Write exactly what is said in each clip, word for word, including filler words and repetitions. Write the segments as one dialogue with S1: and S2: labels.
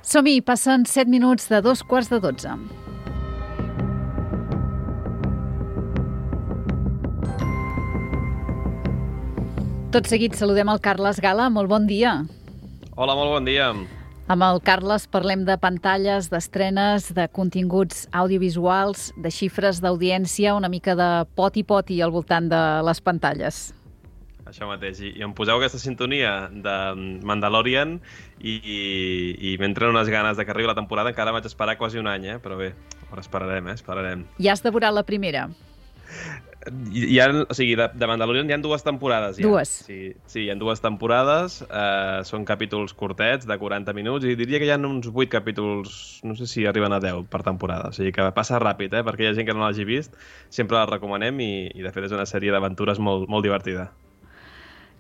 S1: Som-hi, passen set minuts de dos quarts de dotze. Tot seguit saludem el Carles Gala. Molt bon dia.
S2: Hola, molt bon dia.
S1: Amb el Carles parlem de pantalles, d'estrenes, de continguts audiovisuals, de xifres d'audiència, una mica de poti-poti al voltant de les pantalles.
S2: Això mateix. I, i em poseu aquesta sintonia de Mandalorian i, i, i m'entren unes ganes de que arribi la temporada. Encara vaig esperar quasi un any, eh? Però bé, ara esperarem, eh? Esperarem.
S1: Ja has devorat la primera?
S2: Hi ha, o sigui, de, de Mandalorian hi ha dues temporades. Ja.
S1: Dues?
S2: Sí, sí, hi ha dues temporades. Eh, són capítols curtets, de quaranta minuts, i diria que hi ha uns vuit capítols, no sé si arriben a deu per temporada. O sigui que passa ràpid, eh? Perquè hi ha gent que no l'hagi vist. Sempre la recomanem i, i de fet, és una sèrie d'aventures molt, molt divertida.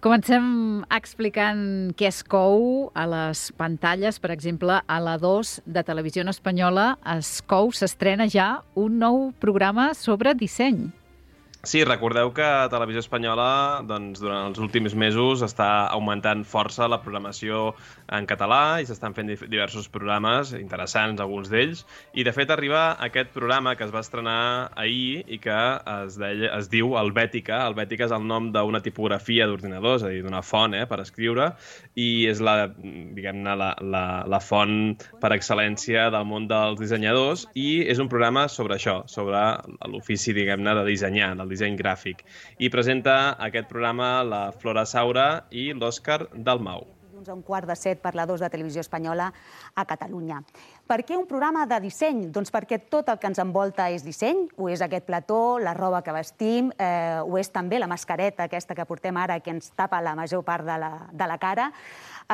S1: Comencem explicant què es cou a les pantalles. Per exemple, a la dos de Televisió Espanyola es cou, s'estrena ja un nou programa sobre disseny.
S2: Sí, recordeu que Televisió Espanyola doncs, durant els últims mesos està augmentant força la programació en català i s'estan fent diversos programes interessants, alguns d'ells. I, de fet, arriba aquest programa que es va estrenar ahir i que es, deia, es diu Helvètica. Helvètica és el nom d'una tipografia d'ordinador, és a dir, d'una font eh, per escriure, i és la, diguem-ne, la, la, la font per excel·lència del món dels dissenyadors, i és un programa sobre això, sobre l'ofici, diguem-ne, de dissenyar, del disseny gràfic. I presenta aquest programa la Flora Saura i l'Òscar Dalmau.
S3: A un quart de set per la dos de Televisió Espanyola a Catalunya. Per què un programa de disseny? Doncs perquè tot el que ens envolta és disseny, ho és aquest plató, la roba que vestim, eh, ho és també la mascareta aquesta que portem ara que ens tapa la major part de la, de la cara.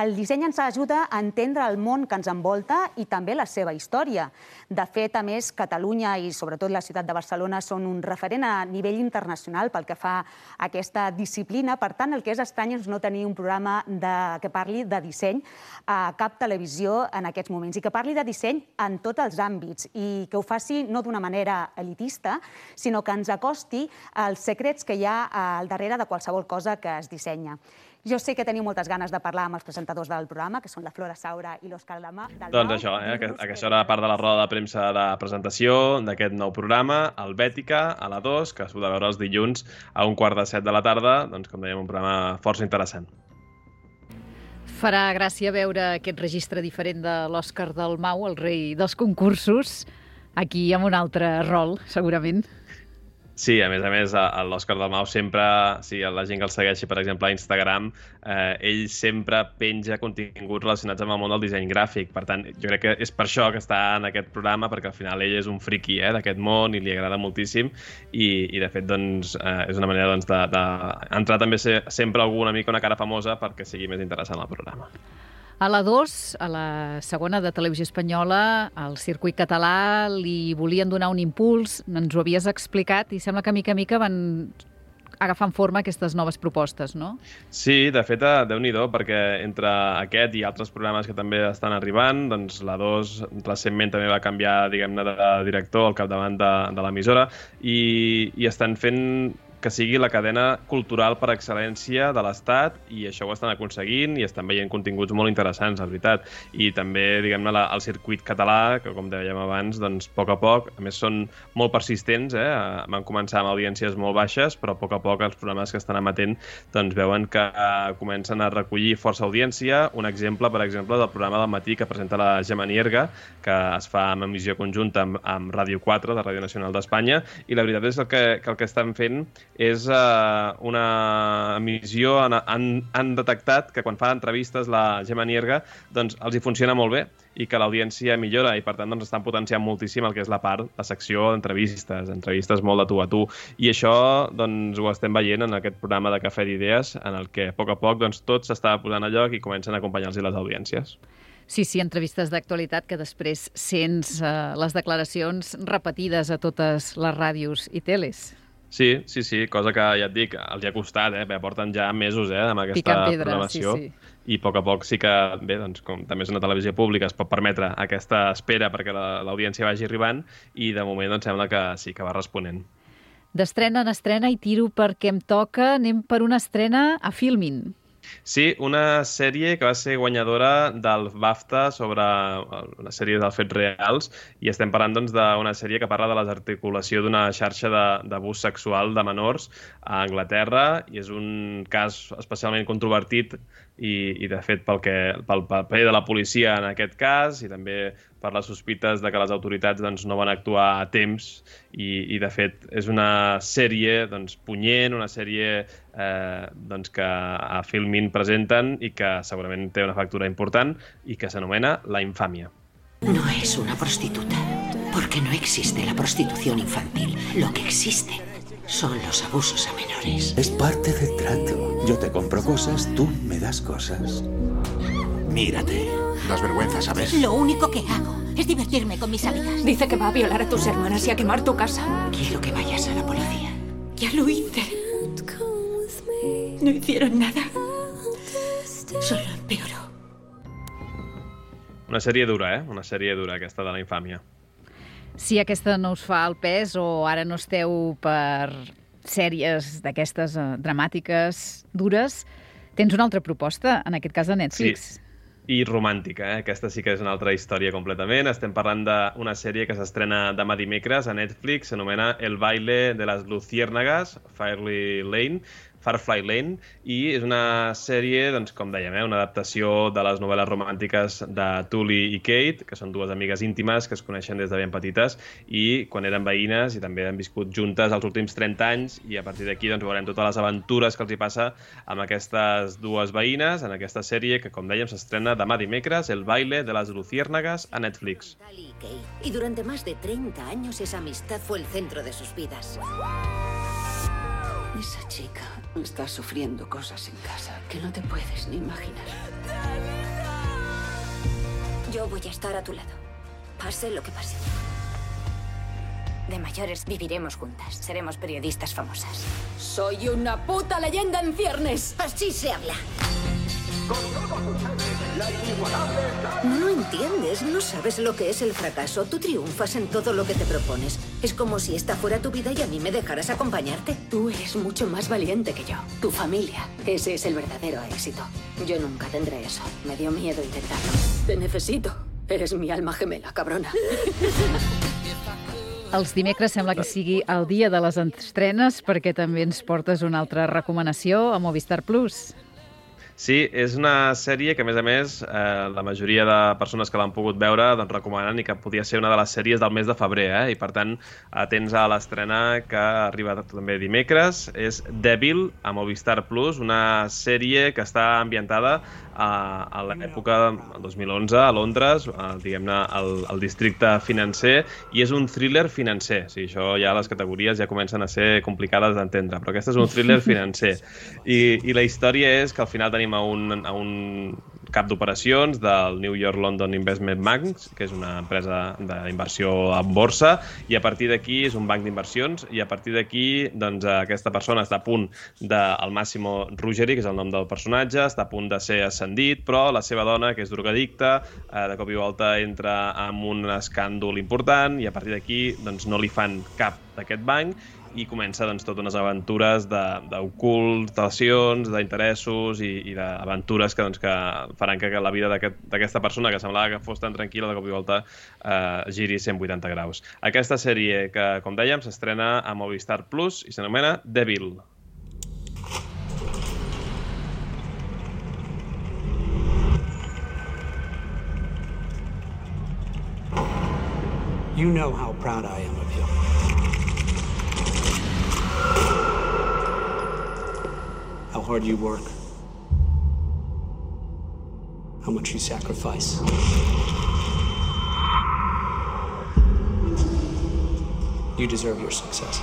S3: El disseny ens ajuda a entendre el món que ens envolta i també la seva història. De fet, a més, Catalunya i sobretot la ciutat de Barcelona són un referent a nivell internacional pel que fa a aquesta disciplina. Per tant, el que és estrany és no tenir un programa de, que parli de disseny a cap televisió en aquests moments i que parli de disseny en tots els àmbits i que ho faci no d'una manera elitista, sinó que ens acosti als secrets que hi ha al darrere de qualsevol cosa que es dissenya. Jo sé que teniu moltes ganes de parlar amb els presentadors del programa, que són la Flora Saura i l'Òscar Dalmau.
S2: Doncs això, eh? Aquesta era part de la roda de premsa de presentació d'aquest nou programa, Helvètica, a la dos, que s'ho de veure els dilluns a un quart de set de la tarda, doncs, com dèiem, un programa força interessant.
S1: Farà gràcia veure aquest registre diferent de l'Òscar Dalmau, el rei dels concursos, aquí amb un altre rol, segurament.
S2: Sí, a més a més, l'Òscar Dalmau sempre, si la gent que el segueixi, per exemple, a Instagram, eh, ell sempre penja continguts relacionats amb el món del disseny gràfic. Per tant, jo crec que és per això que està en aquest programa, perquè al final ell és un friqui eh, d'aquest món i li agrada moltíssim i, i de fet, doncs, eh, és una manera doncs, d'entrar de, de també ser, sempre algú una mica una cara famosa perquè sigui més interessant el programa.
S1: A la dos, a la segona de Televisió Espanyola, al circuit català li volien donar un impuls, ens ho havies explicat, i sembla que mica a mica van agafant forma aquestes noves propostes, no?
S2: Sí, de fet, déu-n'hi-do, perquè entre aquest i altres programes que també estan arribant, doncs la dos recentment també va canviar, diguem-ne, de director al capdavant de, de l'emissora i, i estan fent que sigui la cadena cultural per excel·lència de l'Estat i això ho estan aconseguint i estan veient continguts molt interessants, la veritat. I també, diguem-ne, el circuit català, que com dèiem abans, doncs, a poc a poc, a més són molt persistents, eh? Van començar amb audiències molt baixes, però a poc a poc els programes que estan emetent doncs, veuen que comencen a recollir força audiència. Un exemple, per exemple, del programa del matí que presenta la Gemma Nierga, que es fa en emissió conjunta amb, amb Ràdio quatre, de Ràdio Nacional d'Espanya, i la veritat és que, que el que estan fent és uh, una emissió, han, han, han detectat que quan fa entrevistes la Gemma Nierga doncs els hi funciona molt bé i que l'audiència millora i per tant doncs, estan potenciant moltíssim el que és la part, la secció d'entrevistes, entrevistes molt de tu a tu. I això doncs, ho estem veient en aquest programa de Cafè d'Idees en el que a poc a poc doncs, tot s'està posant a lloc i comencen a acompanyar-los les audiències.
S1: Sí, sí, entrevistes d'actualitat que després sents eh, les declaracions repetides a totes les ràdios i teles.
S2: Sí, sí, sí, cosa que ja et dic, els hi ha costat, eh? Bé, porten ja mesos eh, amb aquesta pedra, programació sí, sí. I a poc a poc sí que, bé, doncs, com també és una televisió pública, es pot permetre aquesta espera perquè l'audiència vagi arribant i de moment doncs, sembla que sí que va responent.
S1: D'estrena en estrena i tiro perquè em toca, anem per una estrena a Filmin.
S2: Sí, una sèrie que va ser guanyadora del BAFTA sobre una sèrie dels fets reals, i estem parlant doncs, d'una sèrie que parla de la desarticulació d'una xarxa d'abús sexual de menors a Anglaterra, i és un cas especialment controvertit i, i de fet, pel, que, pel paper de la policia en aquest cas, i també per les sospites de que les autoritats doncs, no van actuar a temps, i, i de fet és una sèrie doncs, punyent, una sèrie eh, doncs, que a Filmin presenten i que segurament té una factura important i que s'anomena La infamia.
S4: No es una prostituta, porque no existe la prostitución infantil. Lo que existe son los abusos a menores.
S5: Es parte del trato. Yo te compro cosas, tú me das cosas.
S6: Mírate. Das vergüenza, ¿sabes?
S4: Lo único que hago es divertirme con mis amigas.
S7: Dice que va a violar a tus hermanas y a quemar tu casa.
S4: Quiero que vayas a la policía.
S7: Ya lo hice. No hicieron nada. Solo empeoró.
S2: Una sèrie dura, eh? Una sèrie dura, aquesta de La infàmia.
S1: Si aquesta no us fa el pes o ara no esteu per sèries d'aquestes eh, dramàtiques, dures, tens una altra proposta, en aquest cas de Netflix.
S2: Sí. I romàntica, eh? Aquesta sí que és una altra història completament. Estem parlant d'una sèrie que s'estrena demà dimecres a Netflix, s'anomena El baile de las luciérnagas, Firefly Lane, Firefly Lane, i és una sèrie, doncs, com dèiem, eh, una adaptació de les novel·les romàntiques de Tully i Kate, que són dues amigues íntimes que es coneixen des de ben petites i quan eren veïnes i també han viscut juntes els últims trenta anys, i a partir d'aquí doncs, veurem totes les aventures que els hi passa amb aquestes dues veïnes en aquesta sèrie que, com dèiem, s'estrena demà dimecres, El baile de las luciérnagas, a Netflix.
S4: Y durante más de treinta años esa amistad fue el centro de sus vidas. Esa chica está sufriendo cosas en casa que no te puedes ni imaginar.
S8: Yo voy a estar a tu lado, pase lo que pase. De mayores viviremos juntas, seremos periodistas famosas.
S7: Soy una puta leyenda en ciernes.
S4: Así se habla. No lo entiendes, no sabes lo que es el fracaso. Tú triunfas en todo lo que te propones. Es como si esta fuera tu vida y a mí me dejaras acompañarte.
S7: Tú eres mucho más valiente que yo. Tu familia, ese es el verdadero éxito. Yo nunca tendré eso. Me dio miedo intentarlo. Te necesito. Eres mi alma gemela, cabrona.
S1: Els dimecres sembla que sigui el dia de les estrenes, perquè també ens portes una altra recomanació a Movistar Plus.
S2: Sí, és una sèrie que, a més a més, eh, la majoria de persones que l'han pogut veure doncs, recomanen i que podia ser una de les sèries del mes de febrer, eh? I per tant, atents a l'estrena que arriba també dimecres. És Devil, a Movistar Plus, una sèrie que està ambientada a, a l'època del dos mil onze, a Londres, a, diguem-ne, al, al districte financer, i és un thriller financer. O sigui, això ja les categories ja comencen a ser complicades d'entendre, però aquest és un thriller financer. I, i la història és que al final tenim a un, a un cap d'operacions del New York London Investment Bank, que és una empresa d'inversió en borsa, i a partir d'aquí és un banc d'inversions, i a partir d'aquí doncs, aquesta persona està a punt de, el Massimo Ruggeri, que és el nom del personatge, està a punt de ser ascendit, però la seva dona, que és drogadicta, eh, de cop i volta entra en un escàndol important, i a partir d'aquí doncs, no li fan cap d'aquest banc, i comença doncs, totes unes aventures d'ocultacions, d'interessos i, i d'aventures que, doncs, que faran que la vida d'aquesta aquest, persona que semblava que fos tan tranquil·la de cop i volta eh, giri cent vuitanta graus. Aquesta sèrie que, com dèiem, s'estrena a Movistar Plus i s'anomena Devil.
S9: You know how proud I am of you. How hard you work. How much you sacrifice. You deserve your success.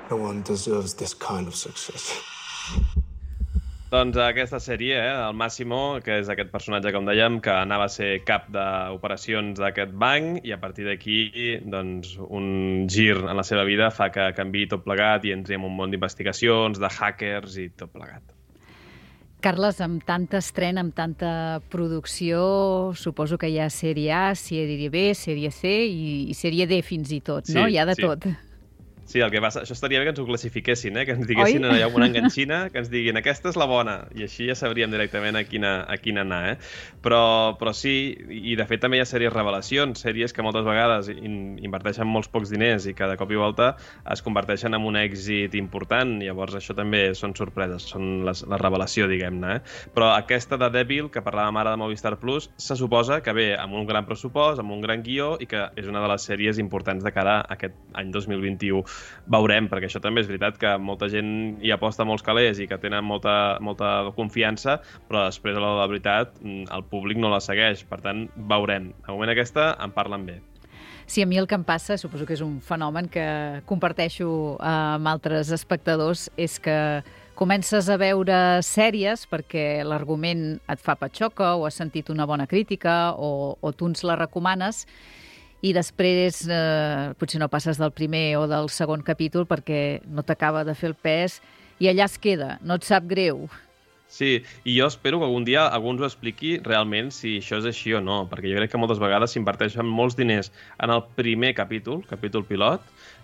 S6: No one deserves this kind of success.
S2: Doncs aquesta sèrie, eh, el Massimo, que és aquest personatge, com dèiem, que anava a ser cap d'operacions d'aquest banc, i a partir d'aquí doncs, un gir en la seva vida fa que canviï tot plegat i entri en un món d'investigacions, de hackers i tot plegat.
S1: Carles, amb tanta estrena, amb tanta producció, suposo que hi ha sèrie A, sèrie B, sèrie C i, i sèrie D fins i tot, no?
S2: Sí,
S1: hi ha de
S2: sí.
S1: tot.
S2: Sí, el que passa, això estaria bé que ens ho classifiquessin, eh? Que ens diguessin Oi? Una enganxina, que ens diguin aquesta és la bona, i així ja sabríem directament a quina, a quina anar, eh? Però, però sí, i de fet també hi ha sèries revelacions, sèries que moltes vegades in, inverteixen molts pocs diners i que de cop i volta es converteixen en un èxit important, llavors això també són sorpreses, són les, la revelació, diguem-ne, eh? Però aquesta de Devil, que parlàvem ara de Movistar Plus, se suposa que ve amb un gran pressupost, amb un gran guió, i que és una de les sèries importants de cara a aquest any dos mil vint-i-u. Veurem, perquè això també és veritat que molta gent hi aposta molts calés i que tenen molta, molta confiança, però després, a la de la veritat, el públic no la segueix. Per tant, veurem. De moment aquesta en parlen bé.
S1: Sí, a mi el que em passa, suposo que és un fenomen que comparteixo amb altres espectadors, és que comences a veure sèries perquè l'argument et fa patxoca o has sentit una bona crítica o, o tu ens la recomanes, i després eh, potser no passes del primer o del segon capítol perquè no t'acaba de fer el pes i allà es queda, no et sap greu.
S2: Sí, i jo espero que algun dia algú ens ho expliqui realment si això és així o no, perquè jo crec que moltes vegades s'inverteixen molts diners en el primer capítol, capítol pilot,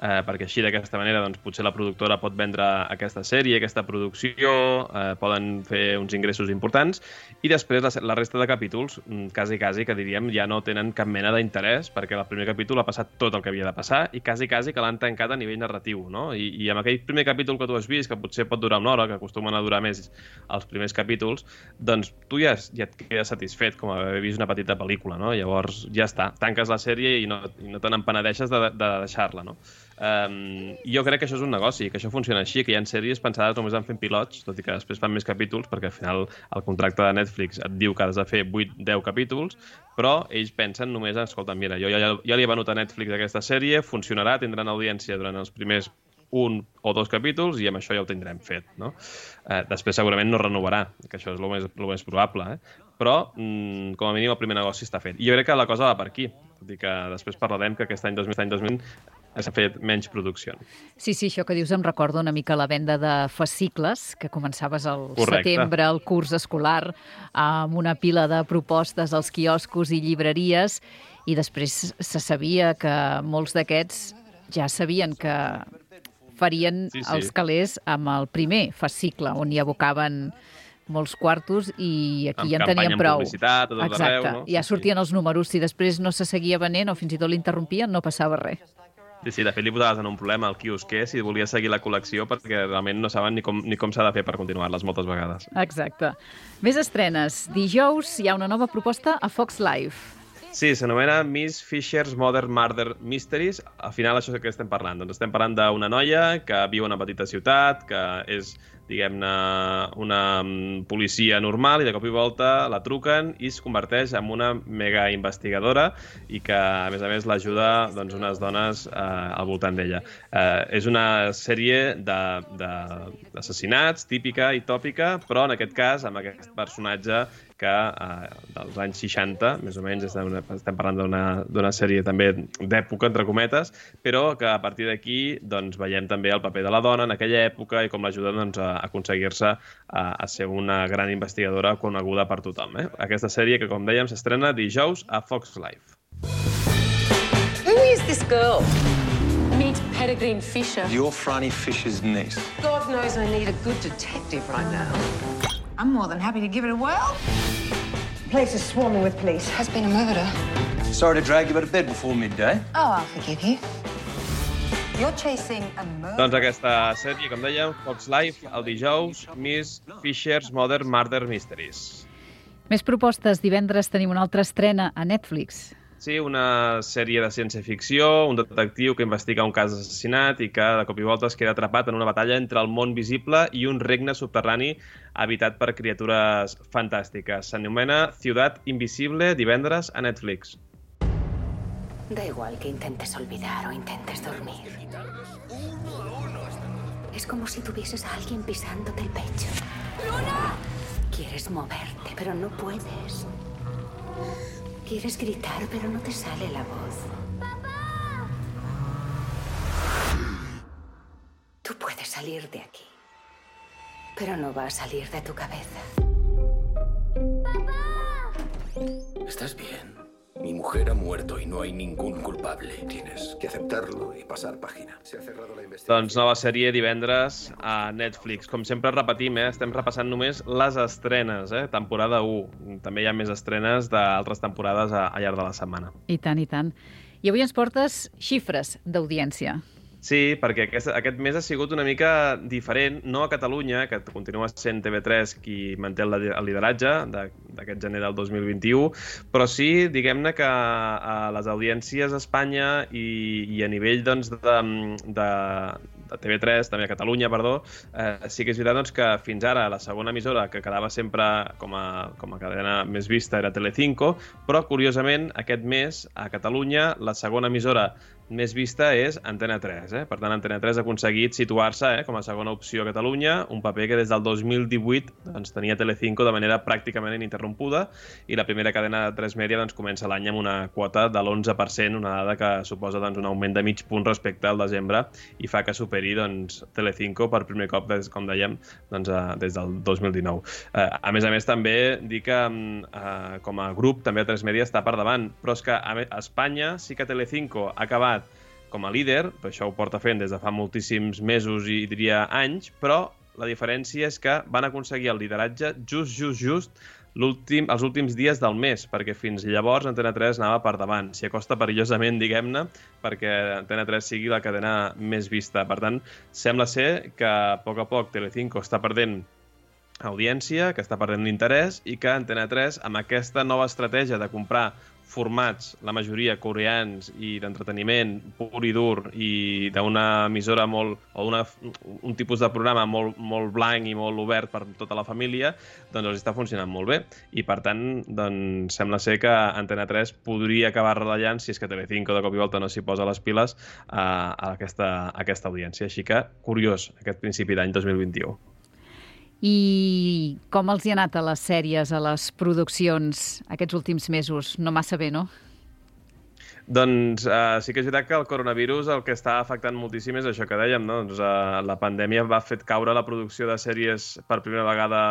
S2: eh, perquè així d'aquesta manera doncs, potser la productora pot vendre aquesta sèrie, aquesta producció, eh, poden fer uns ingressos importants, i després la, la resta de capítols, quasi, quasi, que diríem, ja no tenen cap mena d'interès, perquè el primer capítol ha passat tot el que havia de passar, i quasi, quasi que l'han tancat a nivell narratiu, no? I, i amb aquell primer capítol que tu has vist, que potser pot durar una hora, que acostumen a durar més els primers capítols, doncs tu ja, ja et quedes satisfet com haver vist una petita pel·lícula, no? Llavors ja està, tanques la sèrie i no, i no te n'empenedeixes de, de deixar-la, no? Um, jo crec que això és un negoci, que això funciona així, que hi ha sèries pensades només en fent pilots, tot i que després fan més capítols, perquè al final el contracte de Netflix et diu que has de fer vuit deu capítols, però ells pensen només, escolta, mira, jo ja, ja li he venut a Netflix aquesta sèrie, funcionarà, tindran audiència durant els primers un o dos capítols i amb això ja ho tindrem fet, no? Eh, després segurament no renovarà, que això és el més, el més probable, eh? Però mm, com a mínim el primer negoci està fet. I jo crec que la cosa va per aquí, tot i que després parlarem que aquest any dos mil, any dos mil s'ha fet menys producció.
S1: Sí, sí, això que dius em recorda una mica la venda de fascicles, que començaves al
S2: Correcte.
S1: Setembre, el curs escolar, amb una pila de propostes als quioscos i llibreries, i després se sabia que molts d'aquests ja sabien que farien sí, sí. els calés amb el primer fascicle, on hi abocaven molts quartos i aquí
S2: amb
S1: ja en tenien prou.
S2: Amb publicitat, a tot
S1: Exacte.
S2: arreu, no?
S1: Ja sortien sí, sí. els números. Si després no se seguia venent o fins i tot l'interrompien, no passava res.
S2: Sí, sí, de fet li posaves en un problema al quiosquer si volia seguir la col·lecció perquè realment no saben ni com, ni com s'ha de fer per continuar-les moltes vegades.
S1: Exacte. Més estrenes. Dijous hi ha una nova proposta a Fox Life.
S2: Sí, s'anomena Miss Fisher's Modern Murder Mysteries. Al final això és el que estem parlant. Doncs estem parlant d'una noia que viu a una petita ciutat, que és, diguem-ne, una policia normal i de cop i volta la truquen i es converteix en una mega investigadora i que, a més a més, l'ajuda doncs, unes dones eh, al voltant d'ella. Eh, és una sèrie d'assassinats, típica i tòpica, però en aquest cas amb aquest personatge que eh, dels anys seixanta, més o menys, estem, estem parlant d'una sèrie també d'època, entre cometes, però que a partir d'aquí doncs, veiem també el paper de la dona en aquella època i com l'ajuda doncs, a aconseguir-se a, a ser una gran investigadora coneguda per tothom. Eh? Aquesta sèrie que, com dèiem, s'estrena dijous a Fox Life.
S10: Who is this girl? Meet Peregrine Fisher.
S11: You're Franny Fisher's niece.
S10: God knows I need a good detective right now. I'm more than happy to give it a whirl. The place is swarming with police. Has been a murder.
S11: Sorry to drag you out of bed before midday.
S10: Oh, I'll forgive you. You're chasing a murder.
S2: Doncs aquesta sèrie, com dèiem, Fox Life, el dijous, Miss Fisher's Modern Murder Mysteries.
S1: Més propostes. Divendres tenim una altra estrena a Netflix.
S2: Sí, una sèrie de ciència-ficció, un detectiu que investiga un cas d'assassinat i que de cop i volta es queda atrapat en una batalla entre el món visible i un regne subterrani habitat per criatures fantàstiques. S'anomena Ciudad Invisible, divendres a Netflix.
S7: Da igual que intentes olvidar o intentes dormir. Es como si tuvieses a alguien pisándote el pecho. ¡Luna! Quieres moverte, pero no puedes. Quieres gritar, pero no te sale la voz. ¡Papá! Tú puedes salir de aquí, pero no va a salir de tu cabeza.
S5: ¿Estás bien?
S12: Mi mujer ha muerto y no hay ningún culpable. Tienes que aceptarlo y pasar página. Se ha cerrado la investigación.
S2: Doncs nova sèrie divendres a Netflix. Com sempre repetim, eh? Estem repassant només les estrenes, eh? Temporada u. També hi ha més estrenes d'altres temporades a, a llarg de la setmana.
S1: I tant, i tant. I avui ens portes xifres d'audiència.
S2: Sí, perquè aquest, aquest mes ha sigut una mica diferent, no a Catalunya, que continua sent T V tres qui manté el lideratge d'aquest gener del dos mil vint-i-u, però sí, diguem-ne que a les audiències a Espanya i, i a nivell doncs, de, de, de T V tres, també a Catalunya, perdó, eh, sí que és veritat doncs, que fins ara la segona emissora que quedava sempre com a, com a cadena més vista era Telecinco, però curiosament aquest mes a Catalunya la segona emissora més vista és Antena tres. Eh? Per tant, Antena tres ha aconseguit situar-se eh, com a segona opció a Catalunya, un paper que des del dos mil divuit doncs, tenia Telecinco de manera pràcticament ininterrompuda, i la primera cadena de tres Media doncs, comença l'any amb una quota de l'onze per cent, una dada que suposa doncs, un augment de mig punt respecte al desembre i fa que superi doncs, Telecinco per primer cop, des, com dèiem, doncs, eh, des del dos mil dinou. Eh, a més a més, també dir que eh, com a grup també tres Media està per davant, però és que a Espanya sí que Telecinco ha acabat com a líder, però això ho porta fent des de fa moltíssims mesos i diria anys, però la diferència és que van aconseguir el lideratge just, just, just l'últim, els últims dies del mes, perquè fins llavors Antena tres anava per davant. S'hi acosta perillosament, diguem-ne, perquè Antena tres sigui la cadena més vista. Per tant, sembla ser que a poc a poc Telecinco està perdent audiència, que està perdent l'interès, i que Antena tres, amb aquesta nova estratègia de comprar formats, la majoria coreans i d'entreteniment pur i dur i d'una emissora molt, o una, un tipus de programa molt, molt blanc i molt obert per tota la família, doncs els està funcionant molt bé. I per tant, doncs, sembla ser que Antena tres podria acabar retallant, si és que Telecinco de cop i volta no s'hi posa les piles, a, a, aquesta, a aquesta audiència. Així que, curiós, aquest principi d'any dos mil vint-i-u.
S1: I com els hi ha anat a les sèries, a les produccions aquests últims mesos? No massa bé, no?
S2: Doncs uh, sí que és veritat que el coronavirus el que està afectant moltíssim és això que dèiem, no? Doncs, uh, la pandèmia va fer caure la producció de sèries per primera vegada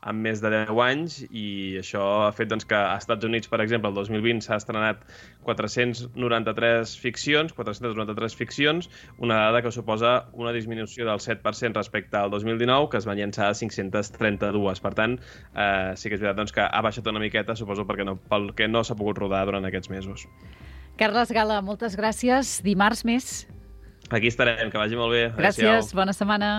S2: en més de deu anys, i això ha fet doncs, que als Estats Units, per exemple, el dos mil vint s'ha estrenat quatre-cents noranta-tres ficcions, quatre-centes noranta-tres ficcions, una dada que suposa una disminució del set per cent respecte al dos mil dinou, que es van llançar a cinc-centes trenta-dues. Per tant, eh, sí que és veritat doncs, que ha baixat una miqueta, suposo, perquè no, pel que no s'ha pogut rodar durant aquests mesos.
S1: Carles Gala, moltes gràcies. Dimarts més.
S2: Aquí estarem, que vagi molt bé.
S1: Gràcies, bona setmana.